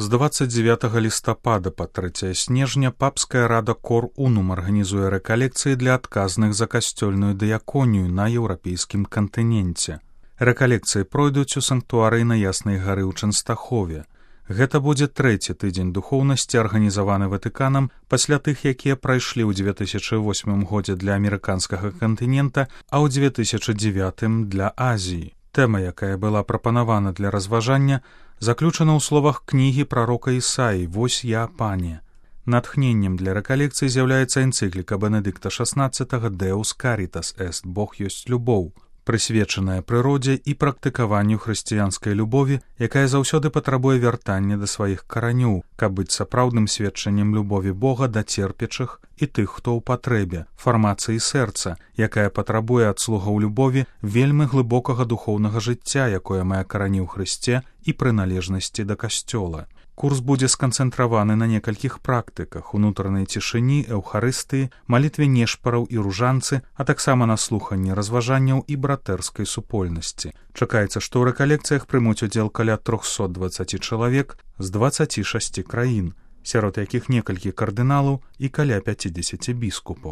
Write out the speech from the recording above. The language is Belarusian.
З 29 лістапада па 3 снежня папская рада Кор Унум арганізуе рэкалекцыі для адказных за касцёльную дыяконію на еўрапейскім кантыненце. Рэкалекцыі пройдуць у санктуарыі на Яснай гары ў Чэнстахове. Гэта будзе 3-й тыдзень духоўнасці, арганізаваны Ватыканам пасля тых, якія прайшлі ў 2008 годзе для амерыканскага кантынента, а ў 2009 для Азіі. Тэма, якая была прапанавана для разважання, заключана ў словах кнігі прарока Ісаі «Вось я, пане». Натхненнем для рэкалекцыі з'яўляецца энцыкліка Бенедыкта XVI «Deus caritas est» «Бог ёсць любоў», прысвечаная прыродзе і практыкаванню хрысціянскай любові, якая заўсёды патрабуе вяртання да сваіх каранёў, каб быць сапраўдным сведчаннем любові Бога да церпячых і тых, хто ў патрэбе, фармацыі сэрца, якая патрабуе ад слугаў любові вельмі глыбокага духоўнага жыцця, якое мае карані ў Хрысце і прыналежнасці да касцёла. Курс будзе сканцэнтраваны на некалькіх практыках: унутранай цішыні, эўхарыстыі, малітве нешпараў і ружанцы, а таксама на слуханні разважанняў і братэрскай супольнасці. Чакаецца, што ў рэкалекцыях прымуць удзел каля 320 чалавек з 26 краін, сярод якіх некалькі кардыналаў і каля 50 біскупаў.